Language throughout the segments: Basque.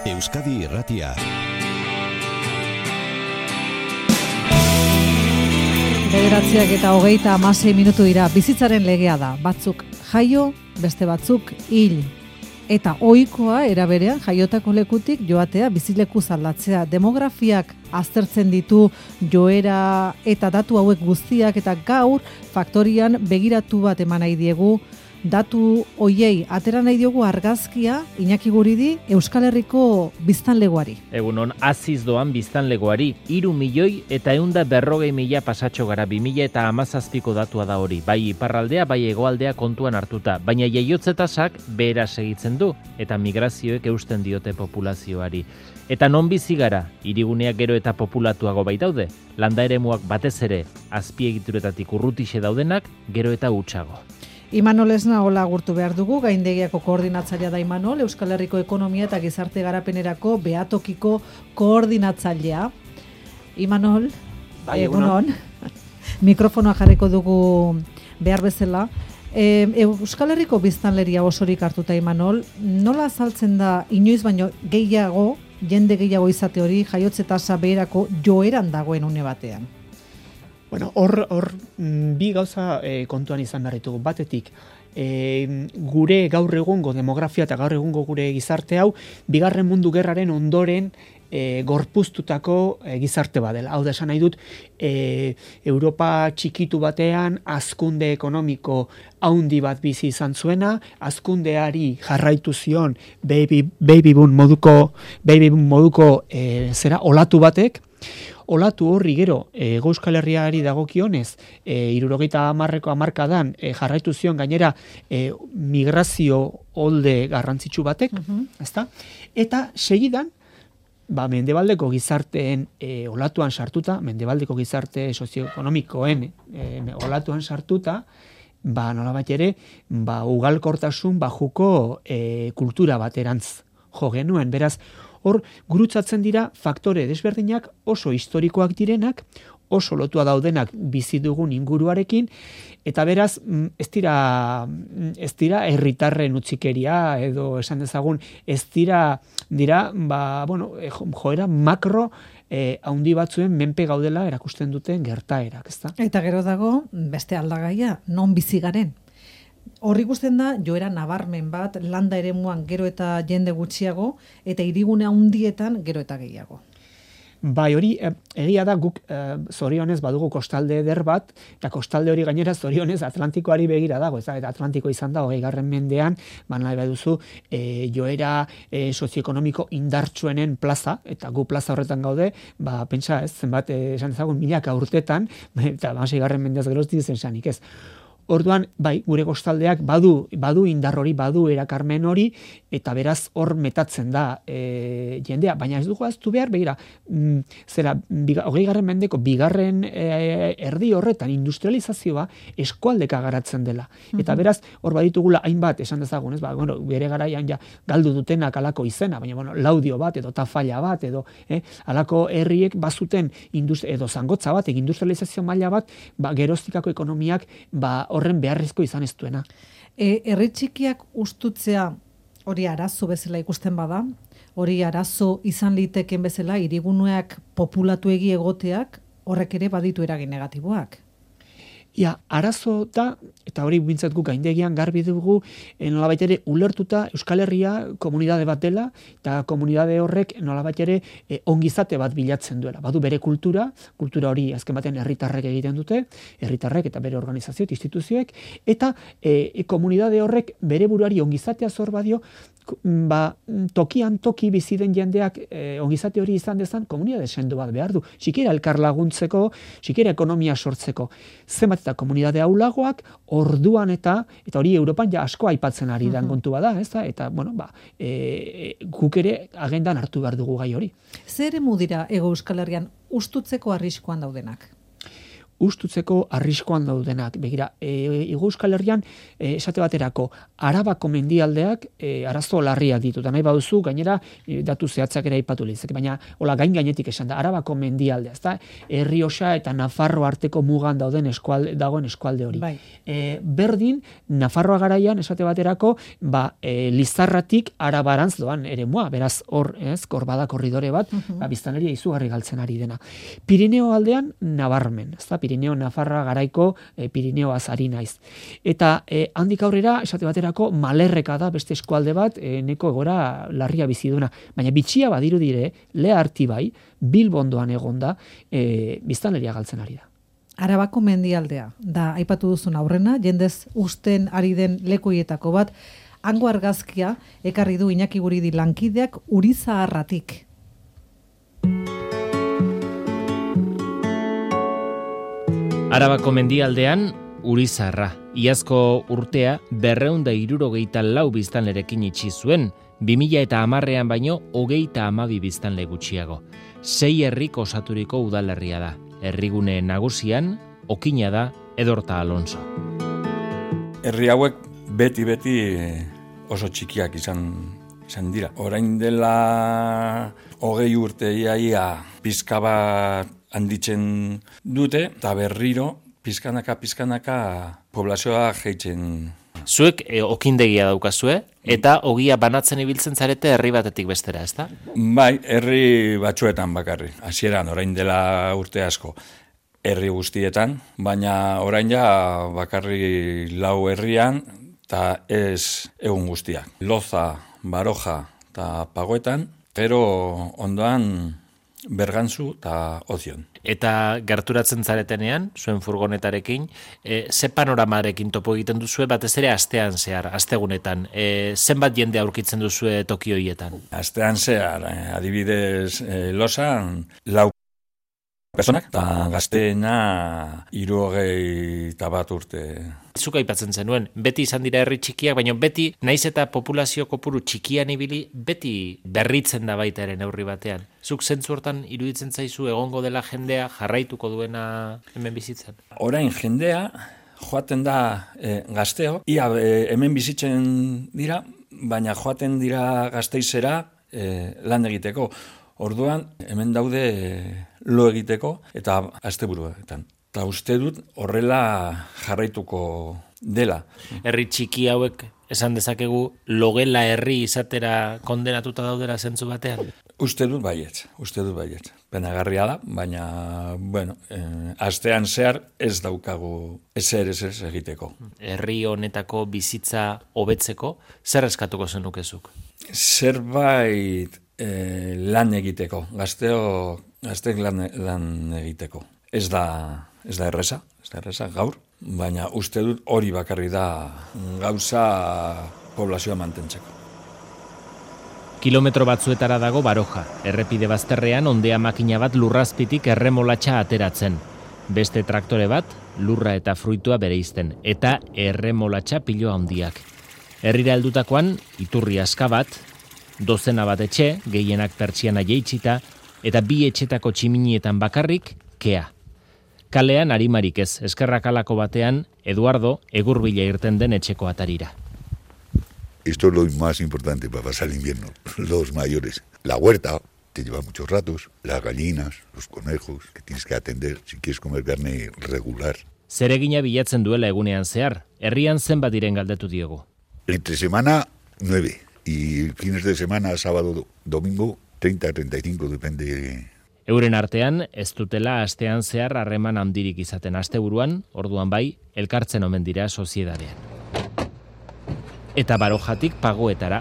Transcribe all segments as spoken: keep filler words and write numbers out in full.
Euskadi Irratia. Bederatziak eta hogeita hamasei minutu dira. Bizitzaren legea da. Batzuk jaio, beste batzuk hil. Eta ohikoa era berean jaiotako lekutik joatea bizileku aldatzea. Demografiak aztertzen ditu joera eta datu hauek guztiak, eta gaur faktorian begiratu bat eman nahi diegu. Datu hoiei atera nahi diogu argazkia Iñaki Guridi Euskal Herriko biztanlegoari. Egunon, aziz doan biztanlegoari, hiru milioi eta ehunda berrogei mila pasatxo gara, bi mila eta hamazazpiko datua da hori, bai iparraldea, bai hegoaldea kontuan hartuta, baina jaiotze tasak behera segitzen du, eta migrazioek eusten diote populazioari. Eta non bizi gara, hiriguneak gero eta populatuago baitaude, landa eremuak batez ere, azpiegituretatik urrutixe daudenak, gero eta hutsago. Imanol Esna hola agurtu behar dugu, gaindegiako koordinatzailea da Imanol, Euskal Herriko ekonomia eta gizarte garapenerako behatokiko koordinatzailea. Imanol, bai, egunon, mikrofonoa jarriko dugu behar bezala. E, Euskal Herriko biztanleria osorik hartuta, Imanol, nola azaltzen da inoiz baino gehiago, jende gehiago izate hori, jaiotze tasa beherako joeran dagoen une batean? Bueno, hor, hor bi gauza e, kontuan izan darritugu. Batetik, e, gure gaur egungo demografia eta gaur egungo gure gizarte hau, bigarren mundu gerraren ondoren e, gorpuztutako e, gizarte badela. Hau da esan nahi dut, e, Europa txikitu batean hazkunde ekonomiko haundi bat bizi izan zuena, hazkundeari jarraitu zion baby, baby boom moduko, baby boom moduko e, zera olatu batek. Olatu horri gero, e, Euskal Herriari dagokionez, e, hirurogeita hamarreko hamarkadan e, jarraitu zion gainera e, migrazio olde garrantzitsu batek, uh-huh. ezta? Eta segidan, ba, mendebaldeko gizarteen e, olatuan sartuta, mendebaldeko gizarte sozioekonomikoen e, olatuan sartuta, ba, nolabait ere, ba, ugalkortasun bajuko e, kultura baterantz jo genuen, beraz, hor, gurutzatzen dira faktore desberdinak oso historikoak direnak, oso lotua daudenak bizi dugun inguruarekin, eta beraz, ez dira, ez dira herritarren utzikeria, edo esan dezagun, ez dira, dira, ba, bueno, joera makro, eh, haundi batzuen menpe gaudela erakusten duten gertaerak, ezta? Eta gero dago, beste aldagaia, non bizi garen? Horri ikusten da, joera nabarmen bat, landa eremuan gero eta jende gutxiago, eta hirigune handietan gero eta gehiago. Bai, hori egia da, guk e, zorionez badugu kostalde eder bat, eta kostalde hori gainera zorionez Atlantikoari begira dago, ez da, eta Atlantiko izan da, hogei garren mendean, ba nahi baduzu, e, joera e, sozioekonomiko indartsuenen plaza, eta gu plaza horretan gaude, ba, pentsa ez, zenbat, e, esan ezagun milaka urtetan, eta hamasei garren mendeaz gerozti zen sanik ez. Orduan, bai, gure kostaldeak badu, badu indar hori, badu erakarmen hori, eta beraz hor metatzen da e, jendea. Baina ez dugu aztu behar, begira, m, zera, hogei garren mendeko, bigarren e, erdi horretan industrializazioa eskualdeka garatzen dela. Eta beraz, hor baditugula hainbat, esan dezagun, ez, ba, bueno, bere garaian ja galdu dutenak alako izena, baina, bueno, laudio bat, edo tafalla bat, edo, eh, alako herriek bazuten, edo zangotza bat, egin industrializazio maila bat, ba, geroztikako ekonomiak, ba, horren beharrezko izan ez duena. E, herri txikiak ustutzea hori arazo bezala ikusten bada, hori arazo izan liteken bezala hiriguneak populatuegi egoteak horrek ere baditu eragin negatiboak. Ja, arazo da, eta hori bintzat guk gaindegian garbi dugu, nolabait ere ulertuta Euskal Herria komunidade bat dela, eta komunidade horrek nolabait ere e, ongizate bat bilatzen duela. Badu bere kultura, kultura hori azken batean herritarrek egiten dute, herritarrek eta bere organizazio, instituzioek, eta e, komunidade horrek bere buruari ongizatea zor badio, ba, tokian toki bizi den jendeak e, ongizate hori izan dezan komunidade sendo bat behar du. Sikiera elkar laguntzeko, sikiera ekonomia sortzeko. Zenbat eta komunidade aulagoak orduan eta eta hori Europan ja asko aipatzen ari dan kontu bada, ez da? Eta bueno, ba, e, guk ere agendan hartu behar dugu gai hori. Zer eremu dira Hego Euskal Herrian ustutzeko arriskuan daudenak? ustutzeko arriskoan daudenak. Begira, e, Hego Euskal Herrian, e, esate baterako, Arabako mendialdeak e, arazo larriak ditu. Da nahi baduzu, gainera, e, datu zehatzak ere aipatu litzake, baina hola gain gainetik esan da, Arabako mendialdea, ezta? Errioxa eta Nafarroa arteko mugan dauden eskualde, dagoen eskualde hori. Bai. E, berdin, Nafarroa garaian, esate baterako, ba, e, Lizarratik Arabarantz doan eremua, beraz, hor, ez, hor bada korridore bat, uh-huh. ba, biztanleria izugarri galtzen ari dena. Pirineo aldean, nabarmen, ezta? Pirineo Nafarra garaiko e, Pirineoaz ari naiz. Eta e, handik aurrera, esate baterako, Malerreka da beste eskualde bat, e, neko egora larria bizi duna. Baina bitxia badiru dire, Lea Artibai, Bilbondoan egonda, e, biztanleria galtzen ari da. Arabako mendialdea, da aipatu duzun aurrena, jendez usten ari den lekuietako bat, hango argazkia ekarri du Iñaki Guridi lankideak Urizaharratik. Arabako mendialdean, Urizaharra. Iazko urtea berrehun eta hirurogeita lau biztanlerekin itxi zuen, bi mila eta hamarrean baino hogeita hamabi biztanle gutxiago. Sei herrik osaturiko udalerria da. Herrigune nagusian, okina da Edorta Alonso. Herri hauek beti-beti oso txikiak izan, izan dira. Orain dela hogei urte iaia pizka bat handitzen dute, eta berriro pizkanaka-pizkanaka poblazioa jeitzen. Zuek e, okindegia daukazue, eta ogia banatzen ibiltzen zarete herri batetik bestera, ezta? Bai, herri batzuetan bakarri. Hasieran orain dela urte asko herri guztietan, baina orain ja bakarri lau herrian, eta ez egun guztiak. Loza, Baroja eta Pagoetan, gero ondoan Bergantzu eta Ozion. Eta gerturatzen zaretenean, zuen furgonetarekin, e, ze panoramarekin topo egiten duzue, batez ere astean zehar, astegunetan. E, zenbat jende aurkitzen duzue toki horietan? Astean zehar, eh, adibidez, eh, Losan, lau personak, eta gazteena hirurogei eta bat urte. Zuk aipatzen zenuen, beti izan dira herri txikiak, baina beti, naiz eta populazio kopuru txikian ibili, beti berritzen da baita ere neurri batean. Zuk zentzu hortan iruditzen zaizu egongo dela jendea jarraituko duena hemen bizitzen? Orain jendea joaten da e, gazteo, ia e, hemen bizitzen dira, baina joaten dira Gasteizera e, lan egiteko. Orduan, hemen daude e, lo egiteko eta asteburuetan. Eta uste dut horrela jarraituko dela. Herri txiki hauek esan dezakegu logela herri izatera kondenatuta daudera zentzu batean? Uste dut baietz, uste dut baietz. Penagarria da, baina, bueno, eh, astean zehar ez daukagu ezer ez ez egiteko. Herri honetako bizitza hobetzeko, zer eskatuko zenukezuk? Zerbait eh, lan egiteko, gazteo, gazteek lan, lan egiteko. Ez da, ez da erreza, ez da erreza gaur, baina uste dut hori bakarri da gauza poblazioa mantentzeko. Kilometro batzuetara dago Baroja, errepide bazterrean ondea makina bat lurrazpitik erremolatxa ateratzen. Beste traktore bat, lurra eta fruitua bereizten, eta erremolatxa piloa handiak. Herrira heldutakoan, iturri aska bat, dozena bat etxe, gehienak pertsiana jeitsita, eta bi etxetako tximinietan bakarrik, kea. Kalean arimarik ez, eskerrakalako batean, Eduardo egurbila irten den etxeko atarira. Esto es lo más importante para pasar el invierno, los mayores. La huerta te lleva muchos ratos, las gallinas, los conejos, que tienes que atender si quieres comer carne regular. Zeregina bilatzen duela egunean zehar, herrian zenbat diren galdetu diogu. Entre semana, nueve, y fines de semana, sábado, domingo, treinta, treinta y cinco, depende. Euren artean, ez dutela astean zehar harreman handirik izaten asteburuan, orduan bai, elkartzen omen dira soziedadean. Eta Barojatik Pagoetara.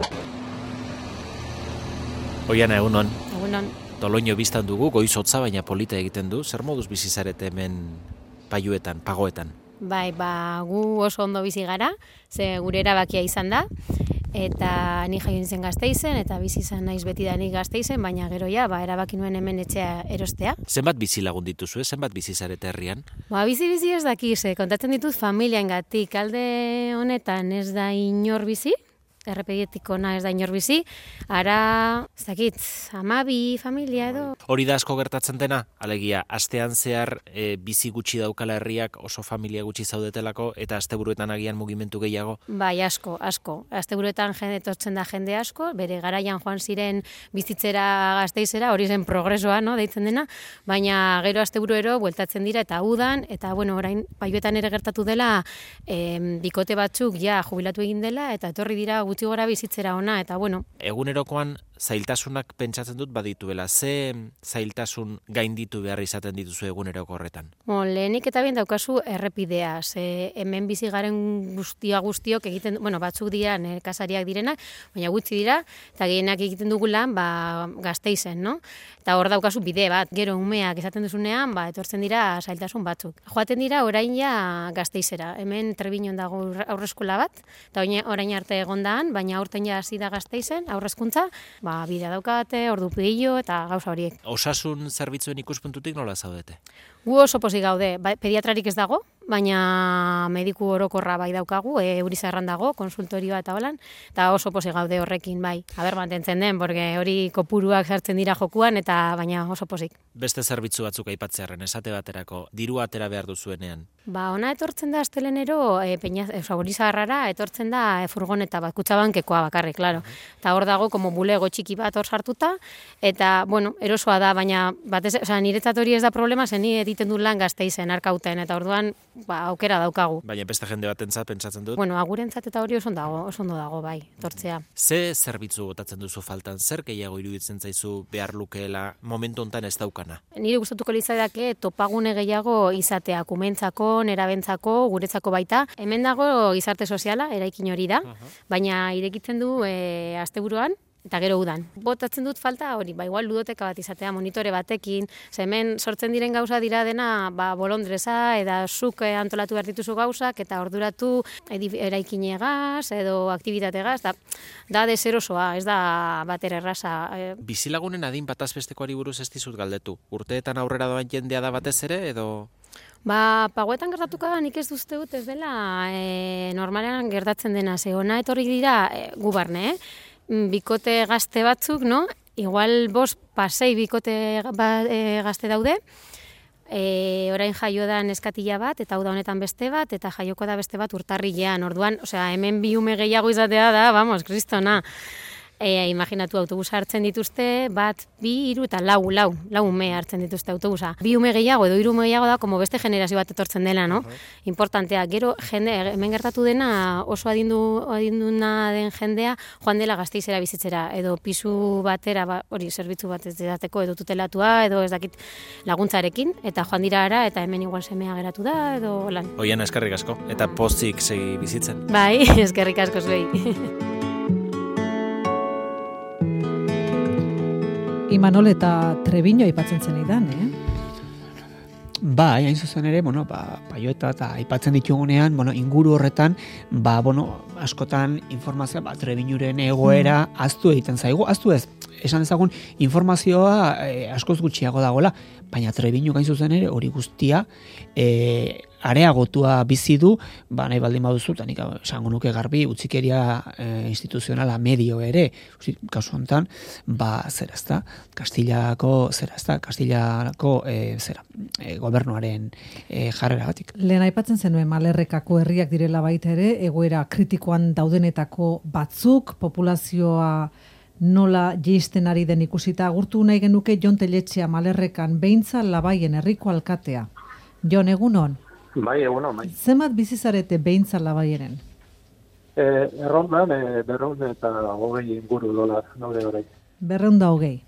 Oiana, egunon. Egunon. Toloño biztan dugu, goizotza baina polita egiten du. Zer moduz bizizarete hemen Paiuetan, Pagoetan? Bai, ba, gu oso ondo bizi gara, ze gure erabakia izan da, eta ni jaio nintzen Gasteizen, eta bizi izan naiz beti da nik Gasteizen, baina gero ja, ba, erabaki nuen hemen etxea erostea. Zenbat bizi lagun dituzu, zenbat bizizarete herrian? Ba, bizi-bizi ez dakiz, kontatzen ditut familiaengatik, alde honetan ez da inor bizi, errepegetik ona ez da inor bizi, ara, ez dakit, amabi, familia edo. Hori da asko gertatzen dena, alegia, astean zehar e, bizi gutxi daukala herriak oso familia gutxi zaudetelako, eta asteburuetan agian mugimendu gehiago? Bai, asko, asko. Asteburuetan jende etortzen da jende asko, bere garaian joan ziren bizitzera Gasteizera, hori zen progresoa, no, deitzen dena, baina gero asteburuero bueltatzen dira eta udan, eta bueno, orain Paiuetan ere gertatu dela, em, bikote batzuk ja jubilatu egin dela, eta etorri dira gutxi gora bizitzera ona, eta bueno. Egunerokoan zailtasunak pentsatzen dut badituela. Ze zailtasun gainditu behar izaten dituzu eguneroko horretan? Bo, lehenik eta bien daukazu errepidea, ze hemen bizi garen guztia guztiok egiten, bueno, batzuk dira nekazariak direnak, baina gutxi dira, eta gehienak egiten dugu lan, ba, Gasteizen, no? Eta hor daukazu bide bat, gero umeak esaten duzunean, ba, etortzen dira zailtasun batzuk. Joaten dira orain ja Gasteizera, hemen Trebiñon dago aurreskola bat, eta orain arte egondaan, baina aurten ja hasi da Gasteizen, aurrezkuntza, ba, bidea daukate, ordu pillo eta gauza horiek. Osasun zerbitzuen ikuspuntutik nola zaudete? Gu oso pozik gaude, ba, pediatrarik ez dago, baina mediku orokorra bai daukagu, e, Eurizarran dago, konsultorioa eta holan, eta oso pozik gaude horrekin bai. Aber mantentzen den, porque hori kopuruak sartzen dira jokuan, eta baina oso pozik. Beste zerbitzu batzuk aipatzearren, esate baterako, diru atera behar duzuenean? Ba, ona etortzen da astelenero, e, peina, e, Eurizarrara etortzen da e, furgoneta bat, kutxabankekoa bakarrik, claro. Eta hor dago, como bulego txiki bat hor sartuta, eta, bueno, erosoa da, baina batez, o sea, niretzat hori ez da problema, zen ni egiten du lan Gasteizen, Arkauten, eta orduan, ba, aukera daukagu. Baina beste jende batentzat pentsatzen dut? Bueno, agurentzat eta hori oso dago, oso ondo dago, bai, tortzea. Ze zerbitzu botatzen duzu faltan, zer gehiago iruditzen zaizu behar lukeela momentu hontan ez daukana? Nire gustatuko litzaidake topagune gehiago izatea, kumentzako, nerabentzako, guretzako baita. Hemen dago gizarte soziala, eraikin hori da, baina irekitzen du e, asteburuan, eta gero udan. Botatzen dut falta hori, ba igual ludoteka bat izatea, monitore batekin, ze hemen sortzen diren gauza dira dena, ba bolondresa, eta zuk antolatu behar dituzu gauzak, eta orduratu eraikinegaz, edo aktivitategaz, da, da deserosoa, ez da batera erraza. Bizilagunen adin bataz bestekoari buruz ez dizut galdetu. Urteetan aurrera doan jendea da batez ere, edo... Ba, Pagoetan gertatuko da, nik ez duzte dut ez dela e, normalean gertatzen dena, ze ona etorri dira e, gu barne, eh? Bikote gazte batzuk, no? Igual bost pasei bikote ba, e, gazte daude, e, orain jaio da neskatila bat, eta hau da honetan beste bat, eta jaioko da beste bat urtarrilean, orduan, osea, hemen bi ume gehiago izatea da, vamos, kristona. E, imaginatu autobusa hartzen dituzte, bat, bi, hiru eta lau, lau, lau ume hartzen dituzte autobusa. Bi ume gehiago edo hiru ume gehiago da, como beste generazio bat etortzen dela, no? Uh-huh. Importantea, gero jende, hemen gertatu dena oso adindu, adinduna den jendea joan dela Gasteizera bizitzera, edo pisu batera, ba, hori, zerbitzu bat ez dateko, edo tutelatua, edo ez dakit laguntzarekin, eta joan dira ara, eta hemen igual semea geratu da, edo lan. Oian, eskerrik asko, eta pozik segi bizitzen. Bai, eskerrik asko zuei. Imanol eta Trebiño aipatzen zen idan, eh? Ba, hain zuzen ere, bueno, ba, Paiueta eta aipatzen ditugunean, bueno, inguru horretan, ba, bueno, askotan informazioa, ba, Trebiñuren egoera mm. aztu egiten zaigu, aztu ez, esan ezagun informazioa e, askoz gutxiago dagoela, baina Trebiñu gain zuzen ere hori guztia e, areagotua bizi du, ba, nahi baldin baduzu, eta nik esango nuke garbi, utzikeria e, instituzionala medio ere, kasu honetan, ba, zera ezta, Kastilako, zera ezta, Kastilako, e, zera, e, gobernuaren e, jarrera batik. Lehen aipatzen zenuen Malerrekako herriak direla baita ere, egoera kritikoan daudenetako batzuk, populazioa nola jeisten ari den ikusita, agurtu nahi genuke Jon Teletxea Malerrekan beintza Labaien herriko alkatea. Jon, egunon? Bai, egunon, bai. Zemat bizizarete beintza Labaienen? E, errondan, e, berrehun eta hogei inguru dolar, daude orain. Berrehun da hogei?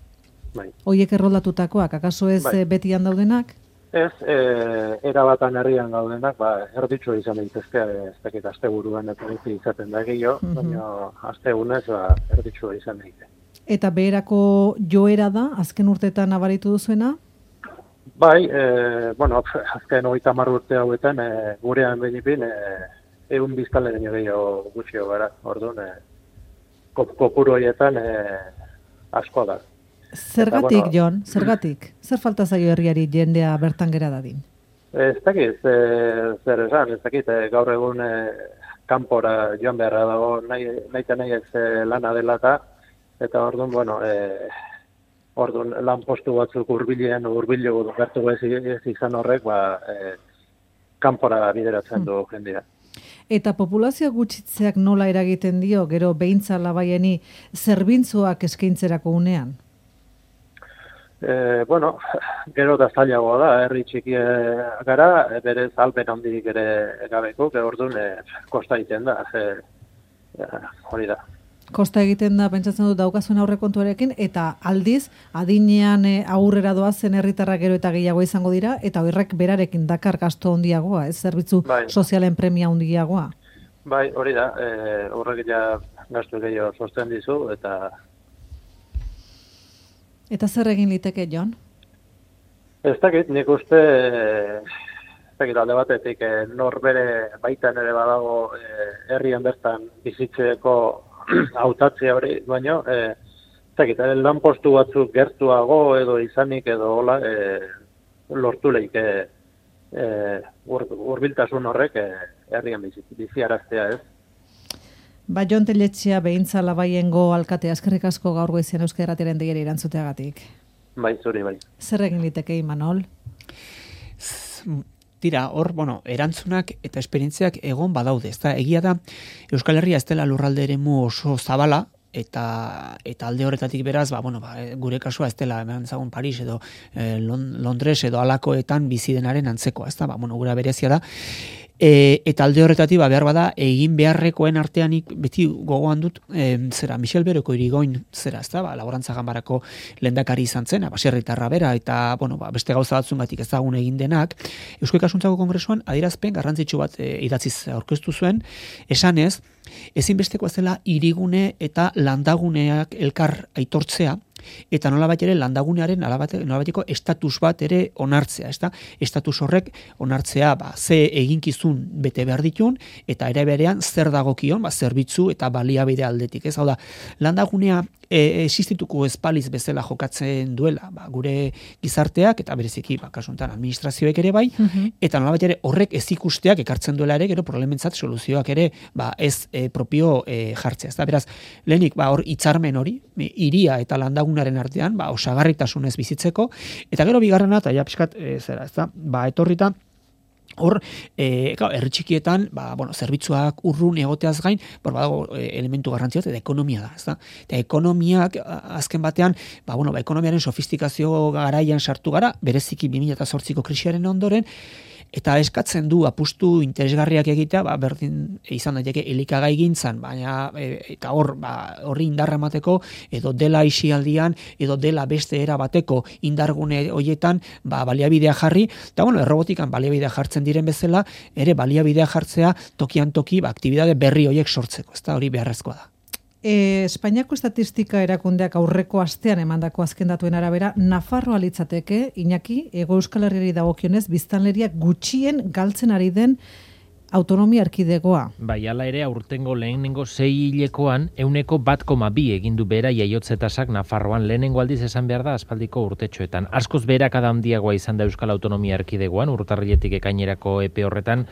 Bai. Hoiek erroldatutakoak, akaso ez bai. Betian daudenak? Ez, e, erabatan herrian gaudenak, ba, erditxo izan daitezke, ez dakit asteburuan eta izaten da gehiago, mm-hmm. baina astegunez ba, erditxo izan daite. Eta beherako joera da, azken urteetan nabaritu duzuena? Bai, e, bueno, azken hogeita hamar urte hauetan, e, gurean benipin, e, egun biztanle gehiago gutxio gara, orduan, e, kopuru horietan e, asko da. Zergatik, bueno, Jon, zergatik? Zer falta zaio herriari jendea bertan gera dadin? Ez dakit, e, zer esan, ez dakit, e, gaur egun e, kanpora joan beharra dago nahi, nahi eta nahi ez lana dela eta, eta orduan, bueno, e, orduan lan postu batzuk urbilean, urbilego gertu ez, ez izan horrek, ba, e, kanpora bideratzen du jendea. Eta populazio gutxitzeak nola eragiten dio, gero behintza labaieni zerbintzuak eskaintzerako unean? E, bueno, gero da zailagoa da, herri txiki gara, berez alpen handirik ere gabeko, gero orduan e, kosta egiten da, e, hori da. Kosta egiten da, pentsatzen dut daukazuen aurrekontuarekin, eta aldiz, adinean e, aurrera doazen herritarrak gero eta gehiago izango dira, eta horrek berarekin dakar gasto handiagoa, ez zerbitzu bai. sozialen premia handiagoa. Bai, hori da, e, horrek ja gastu gehiago sosten dizu, eta... Eta zer egin liteke, Jon? Ez dakit, nik uste, ez dakit alde batetik, e, nor bere baitan ere badago e, herrian bertan bizitzeko hautatzea hori, baino, e, zakit, lan postu batzuk gertuago edo izanik edo hola, e, lortu lehik e, e, ur, urbiltasun horrek e, herrian bizi, biziaraztea ez. Ba, Jon Telletxea behintza labaiengo alkatea, eskerrik asko gaur goizean Euskal Irratiaren deiari erantzuteagatik. Bai, zuri, bai. Zer egin liteke, Imanol? Tira, hor, bueno, erantzunak eta esperientziak egon badaude. Ez da, egia da, Euskal Herria ez dela lurralde eremu oso zabala, eta eta alde horretatik beraz, ba, bueno, ba, gure kasua ez dela, hemen zagun Paris edo eh, Londres edo alakoetan bizi denaren antzekoa, ez da, ba, bueno, gura berezia da. E, eta alde horretatik ba, behar bada egin beharrekoen arteanik beti gogoan dut e, zera Michel Beroko Irigoin zera, ez da, ba, laborantza ganbarako lehendakari izan zen, baserritarra bera eta bueno, ba, beste gauza batzungatik ezagun egin denak, Eusko Ikasuntzako Kongresuan adierazpen garrantzitsu bat e, idatziz aurkeztu zuen, esanez ezinbestekoa zela hirigune eta landaguneak elkar aitortzea, eta nolabait ere landagunearen nolabaiteko estatus bat ere onartzea, ezta? Estatus horrek onartzea, ba, ze eginkizun bete behar ditun eta ere berean zer dagokion, ba, zerbitzu eta baliabide aldetik, ez? Hau da, landagunea e, existituko espaliz bezala jokatzen duela, ba, gure gizarteak eta bereziki, ba, kasu honetan administrazioek ere bai, uh-huh. eta nolabait ere horrek ez ikusteak ekartzen duela ere, gero problementzat soluzioak ere, ba, ez e, propio e, jartzea, ezta? Beraz, lehenik, ba, hor hitzarmen hori, hiria eta landagunaren artean, ba, osagarritasunez bizitzeko, eta gero bigarrena, eta ja pixkat, e, zera, ezta? Ba, etorrita, hor, e, herri txikietan, ba, bueno, zerbitzuak urrun egoteaz gain, bor, badago e, elementu garrantzia eta ekonomia da, ezta? Eta ekonomiak azken batean, ba, bueno, ba, ekonomiaren sofistikazio garaian sartu gara, bereziki bi mila zortziko krisiaren ondoren, eta eskatzen du apustu interesgarriak egitea, ba, berdin izan daiteke elikagai gintzan, baina e, eta hor, ba, horri indarra emateko, edo dela isialdian, edo dela beste era bateko indargune hoietan, ba, baliabidea jarri, eta bueno, errobotikan baliabidea jartzen diren bezala, ere baliabidea jartzea tokian toki, ba, aktibidade berri hoiek sortzeko, ezta hori beharrezkoa da. E, Espainiako estatistika erakundeak aurreko astean emandako azken datuen arabera, Nafarroa litzateke, Iñaki, Hego Euskal Herriari dagokionez, biztanleria gutxien galtzen ari den autonomia erkidegoa. Bai, hala ere, aurtengo lehenengo sei hilekoan, euneko bat koma bi egindu bera jaiotzetasak Nafarroan lehenengo aldiz esan behar da aspaldiko urtetxoetan. Askoz berakada handiagoa izan da Euskal Autonomia erkidegoan, urtarriletik ekainerako epe horretan,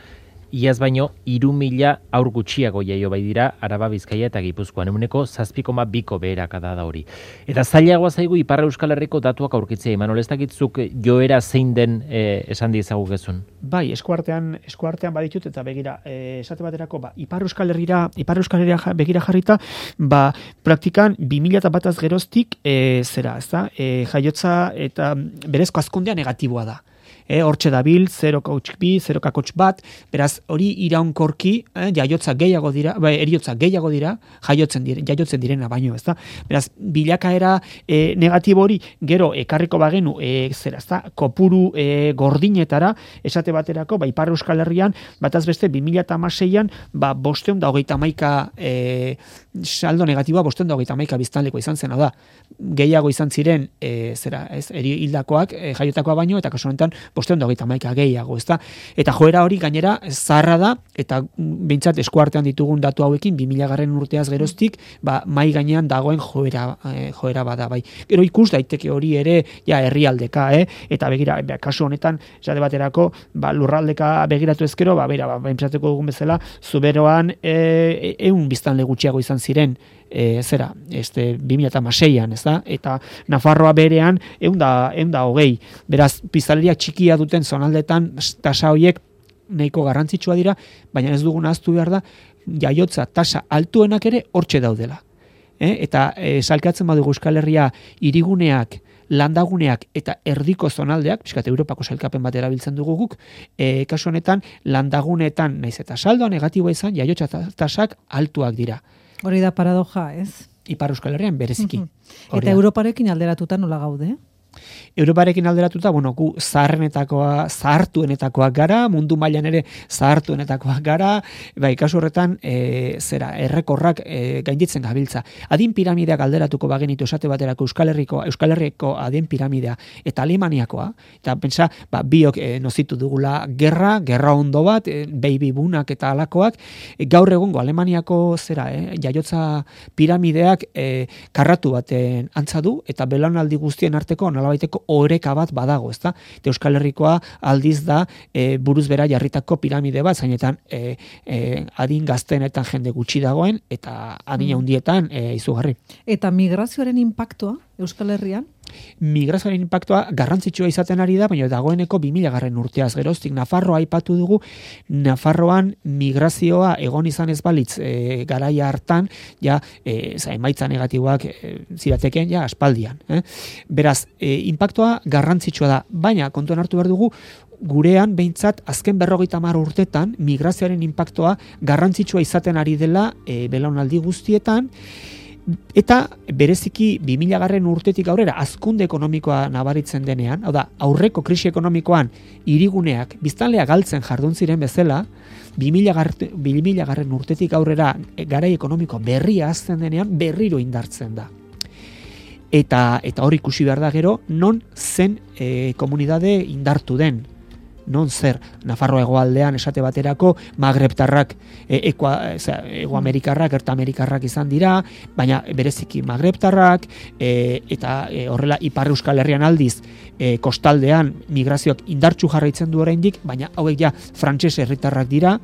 iaz baino, hiru mila aur gutxiago jaio bai dira Araba, Bizkaia eta Gipuzkoan, euneko zazpi koma biko beherakada da hori. Eta zailagoa zaigu Ipar Euskal Herriko datuak aurkitzea, Imanol, ez dakitzuk joera zein den eh, esan diezagugezun? Bai, eskuartean, eskuartean baditut eta begira, eh, esate baterako, ba, Ipar Euskal Herrira, Ipar Euskal Herrira begira jarrita, ba, praktikan bi mila bataz geroztik, eh, zera, ez da, eh, jaiotza eta berezko hazkundea negatiboa da. E, hortxe dabil, zero koma bi, zero koma bat, beraz, hori iraunkorki, eh, jaiotza gehiago dira, bai, eriotza gehiago dira, jaiotzen diren, jaiotzen direna baino, ezta? Beraz, bilakaera e, negatibo hori, gero, ekarriko bagenu, e, zera, ezta, kopuru e, gordinetara, esate baterako, ba, Ipar Euskal Herrian, bataz beste, bi mila hamaseian, ba, bosteun da hogeita hamaika e, saldo negatiboa, bosteun da hogeita hamaika biztanleko izan zen, da, gehiago izan ziren, e, zera, ez, eri hildakoak, e, jaiotakoa baino, eta kasu honetan, bosteun da hogeita hamaika gehiago, ezta? Eta joera hori gainera zaharra da, eta behintzat eskuartean ditugun datu hauekin, bi mila garren urteaz geroztik, ba, mai gainean dagoen joera, eh, joera bada, bai. Gero ikus daiteke hori ere, ja, herrialdeka, eh? Eta begira, be, kasu honetan, esate baterako, ba, lurraldeka begiratu ezkero, ba, bera, ba, pentsatuko dugun bezala, Zuberoan e, eun biztanle gutxiago izan ziren, e, zera, este, bi mila hamaseian, ez da? Eta Nafarroa berean, eun da, eun da hogei. Beraz, biztanleria txikia duten zonaldetan, tasa horiek nahiko garrantzitsua dira, baina ez dugun ahaztu behar da, jaiotza tasa altuenak ere hortxe daudela. Eh? Eta e, salkatzen badugu Euskal Herria hiriguneak, landaguneak eta erdiko zonaldeak, pixkat Europako sailkapen bat erabiltzen dugu guk, e, kasu honetan landaguneetan naiz eta saldoa negatiboa izan, jaiotza tasak altuak dira. Hori da paradoja, ez? Ipar Euskal Herrian bereziki. Eta da. Europarekin alderatuta nola gaude? Europarekin alderatuta, bueno, gu zaharrenetakoa, zahartuenetakoak gara, mundu mailan ere zahartuenetakoak gara, bai, kasu horretan, e, zera, errekorrak e, gainditzen gabiltza. Adin piramideak alderatuko bagenitu esate baterako Euskal Herriko, Euskal Herriko adin piramidea eta Alemaniakoa, eta pentsa, ba, biok e, nozitu dugula gerra, gerra ondo bat, e, baby boomak eta alakoak, e, gaur egungo Alemaniako zera, e, jaiotza piramideak e, karratu baten antza du, eta belaunaldi guztien arteko nolabaiteko oreka bat badago, ezta? Eta Euskal Herrikoa aldiz da e, buruz bera jarritako piramide bat, zainetan e, e, adin gaztenetan jende gutxi dagoen, eta adin handietan e, izugarri. Eta migrazioaren inpaktua Euskal Herrian? Migrazioaren inpaktua garrantzitsua izaten ari da, baina dagoeneko bi mila garren urteaz geroztik Nafarroa aipatu dugu, Nafarroan migrazioa egon izan ez balitz e, garaia hartan, ja, e, za, emaitza negatiboak e, zirateken, ja, aspaldian. Eh? Beraz, e, inpaktua garrantzitsua da, baina kontuan hartu behar dugu, gurean behintzat azken berrogeita hamar urtetan migrazioaren inpaktua garrantzitsua izaten ari dela e, belaunaldi guztietan, eta bereziki bi mila garren urtetik aurrera hazkunde ekonomikoa nabaritzen denean, hau da, aurreko krisi ekonomikoan hiriguneak biztanlea galtzen jardun ziren bezala, bi mila garren urtetik aurrera garai ekonomiko berria hazten denean berriro indartzen da. Eta, eta hori ikusi behar da gero, non zen e, komunidade indartu den. Non zer, Nafarroa hegoaldean esate baterako Magrebtarrak, e, ekoa, ego Amerikarrak, erta Amerikarrak izan dira, baina bereziki Magrebtarrak, e, eta e, horrela Ipar Euskal Herrian aldiz, e, kostaldean migrazioak indartsu jarraitzen du oraindik, baina hauek ja frantses herritarrak dira,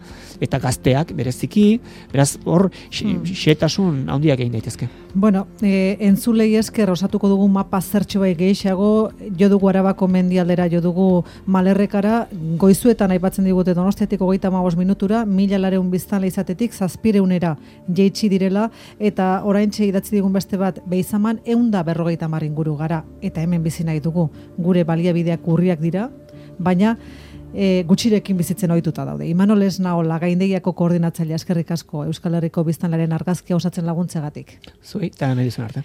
eta gazteak bereziki, beraz hor xehetasun handiak egin daitezke. Bueno, e, entzulei esker osatuko dugu mapa zertxo bai gehiago, jo dugu Arabako mendialdera, jo dugu Malerrekara, goizuetan aipatzen digute Donostiatik hogeita hamabost minutura, mila lareun biztanle izatetik zazpireunera jeitsi direla, eta oraintxe idatzi digun beste bat Beizaman ehunda berrogeita hamar inguru gara, eta hemen bizi nahi dugu, gure baliabideak urriak dira, baina e, gutxirekin bizitzen ohituta daude. Imanol Esnaola, Gaindegiako koordinatzailea, eskerrik asko Euskal Herriko biztanlearen argazkia osatzen laguntzegatik. Zuei, eta nahi dizun arte.